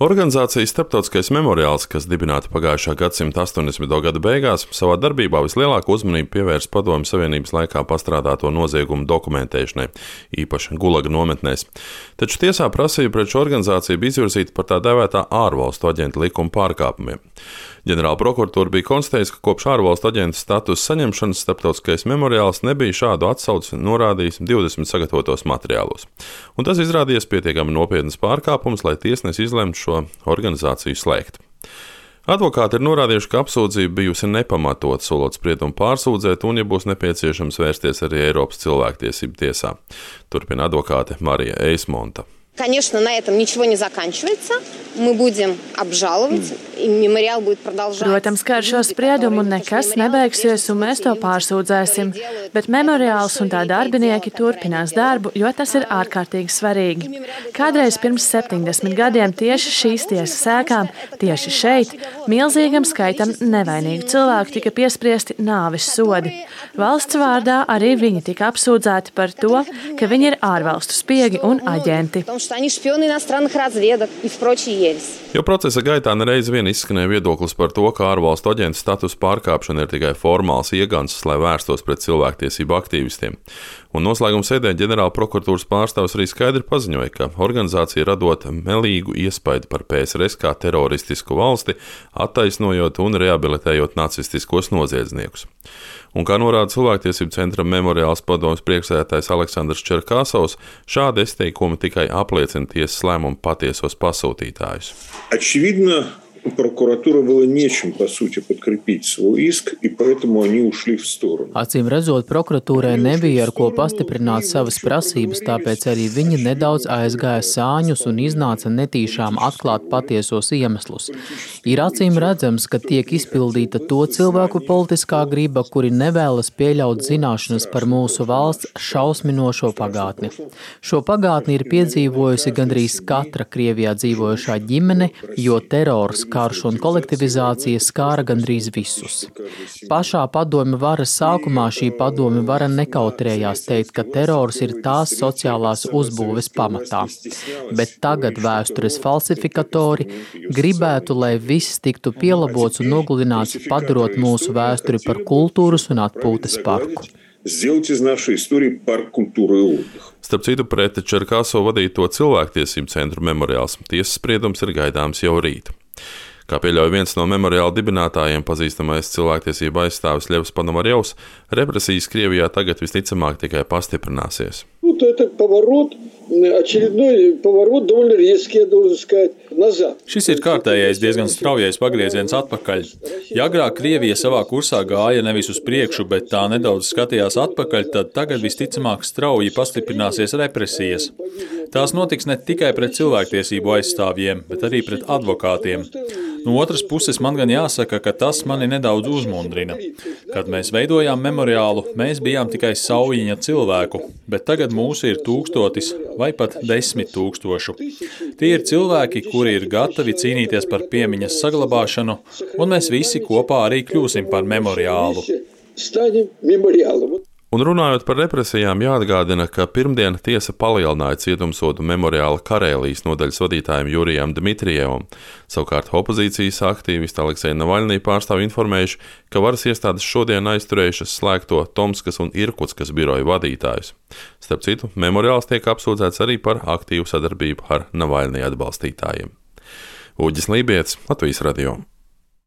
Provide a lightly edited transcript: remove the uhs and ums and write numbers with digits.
Organizācija Starptautiskais memoriāls, kas dibināta pagājušā gadsimta 80. gada beigās, savā darbībā vislielāko uzmanību pievērs Padomju Savienības laikā pastrādāto noziegumu dokumentēšanai, īpaši Gulaga nometnēs. Taču tiesā prasība pret šo organizāciju bija izvirzīta par tā dēvētā ārvalstu aģentu likuma pārkāpumiem. Ģenerāla prokuratūra bija konstatējusi, ka kopš ārvalstu aģenta statusa saņemšanas Starptautiskais memoriāls nebija šādu atsauci norādījis 20 sagatavotos materiālos. Un tas izrādījās pietiekami nopietnas pārkāpums, lai tiesnesis izlemtu šo organizāciju slēgt. Advokāti ir norādījuši, ka apsūdzība bijusi nepamatot, solot spriedumu pārsūdzēt un, ja būs nepieciešams, vērsties arī Eiropas cilvēktiesību tiesā. Turpina advokāte Marija Eismonta. Конечно, на этом ничего не заканчивается. Мы будем обжаловать, и мемориал будет продолжаться. Protams, ka ar šo spriedumu nekas nebeigsies, un mēs to pārsūdzēsim, bet memoriāls un tā darbinieki turpinās darbu, jo tas ir ārkārtīgi svarīgi. Kādreiz pirms 70 gadiem tieši šīs tiesas sēkām, tieši šeit, milzīgam skaitam nevainīgu cilvēku tika piespriesti nāves sodi. Valsts vārdā arī viņi tika apsūdzēti par to, ka viņi ir ārvalstu spiegi un aģenti. Jo procesa gaitā nereiz vien izskanēja viedoklis par to, ka ārvalstu aģentu status pārkāpšana ir tikai formāls iegansts, lai vērstos pret cilvēktiesību aktīvistiem. Un noslēguma sēdē ģenerāla prokuratūras pārstāvs arī skaidri paziņoja, ka organizācija radot melīgu iespaidu par PSRS kā teroristisku valsti, attaisnojot un rehabilitējot nacistiskos noziedzniekus. Un kā norāda cilvēktiesību centra memoriāls padomes priekšsēdētājs Aleksandrs Čerkasovs, šādi izteikumi tikai apliecina tiesas lēmumu patiesos pasūtītājus. Очевидно, прокуратура было нечем, по сути, подкрепить свой иск, и поэтому они ушли в сторону. Acīm redzot, prokuratūrai nebija ar ko pastiprināt savas prasības, tāpēc arī viņi nedaudz aizgāja sāņus un iznāca netīšām atklāt patiesos iemeslus. Ir acīm redzams, ka tiek izpildīta to cilvēku politiskā griba, kuri nevēlas pieļaut zināšanas par mūsu valsts šausminošo pagātni. Šo pagātni ir piedzīvojusi gandrīz katra Krievijā dzīvojošā ģimene, jo terors, karš un kolektivizācija skāra gandrīz visus. Pašā padomju varas sākumā šī padomju vara nekautrējās teikt, ka terors ir tās sociālās uzbūves pamatā. Bet tagad vēstures falsifikatori gribētu, lai viss tiktu pielabots un nogludināts, padarot mūsu vēsturi par kultūras un atpūtas parku. Starp citu, pret Čerkasovu vadīto cilvēktiesību centru memoriāls tiesas spriedums ir gaidāms jau rīt. Kā pieļauj viens no memoriāla dibinātājiem, pazīstamais cilvēktiesību aizstāvis Ļevs Ponomarjovs, represijas Krievijā tagad visticamāk tikai pastiprināsies. Šis ir kārtējais diezgan straujais pagrieziens atpakaļ. Ja agrāk Krievija savā kursā gāja nevis uz priekšu, bet tā nedaudz skatījās atpakaļ, tad tagad visticamāk strauji pastiprināsies represijas. Tās notiks ne tikai pret cilvēktiesību aizstāvjiem, bet arī pret advokātiem. No otras puses man gan jāsaka, ka tas mani nedaudz uzmundrina. Kad mēs veidojām memoriālu, mēs bijām tikai saujiņa cilvēku, bet tagad mūsu ir 1000 vai pat 10 000. Tie ir cilvēki, kuri ir gatavi cīnīties par piemiņas saglabāšanu, un mēs visi kopā arī kļūsim par memoriālu. Un runājot par represijām, jāatgādina, ka pirmdien tiesa palielināja cietumsodu memoriāla Karēlijas nodaļas vadītājiem Jurijam Dmitrijevam. Savukārt opozīcijas aktīvisti Aleksēja Navaļnī pārstāv informējuši, ka varas iestādes šodien aizturējušas slēgto Tomskas un Irkutskas biroju vadītājus. Starp citu, memoriāls tiek apsūdzēts arī par aktīvu sadarbību ar Navaļnī atbalstītājiem. Uģis Lībietis, Latvijas radio.